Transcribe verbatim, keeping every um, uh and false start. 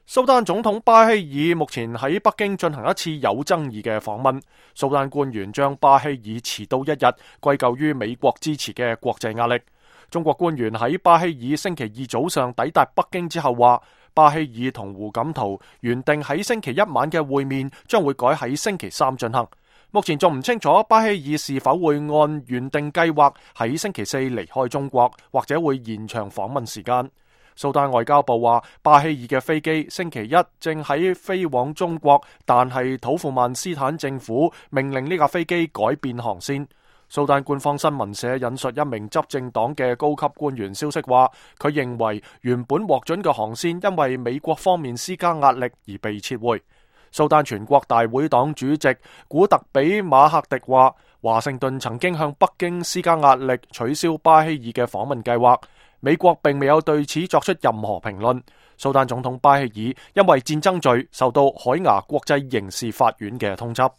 蘇丹總統巴希爾目前喺北京進行一次有爭議嘅訪問。蘇丹官員將巴希爾遲到一日歸咎於美國支持嘅國際壓力。中國官員喺巴希爾星期二早上抵達北京之後話，巴希爾同胡錦濤原定喺星期一晚嘅會面將會改喺星期三進行。目前仲唔清楚巴希爾是否會按原定計劃喺星期四離開中國，或者會延長訪問時間。蘇丹外交部話，巴希爾嘅飛機星期一正喺飛往中國，但係土庫曼斯坦政府命令呢架飛機改變航線。蘇丹官方新聞社引述一名執政黨嘅高級官員消息話，佢認為原本獲准嘅航線因為美國方面施加壓力而被撤回。蘇丹全國大會黨主席古特比馬克迪話，華盛頓曾經向北京施加壓力取消巴希爾嘅訪問計劃，美國並未有對此作出任何評論。蘇丹總統巴希爾因為戰爭罪受到海牙國際刑事法院嘅通緝。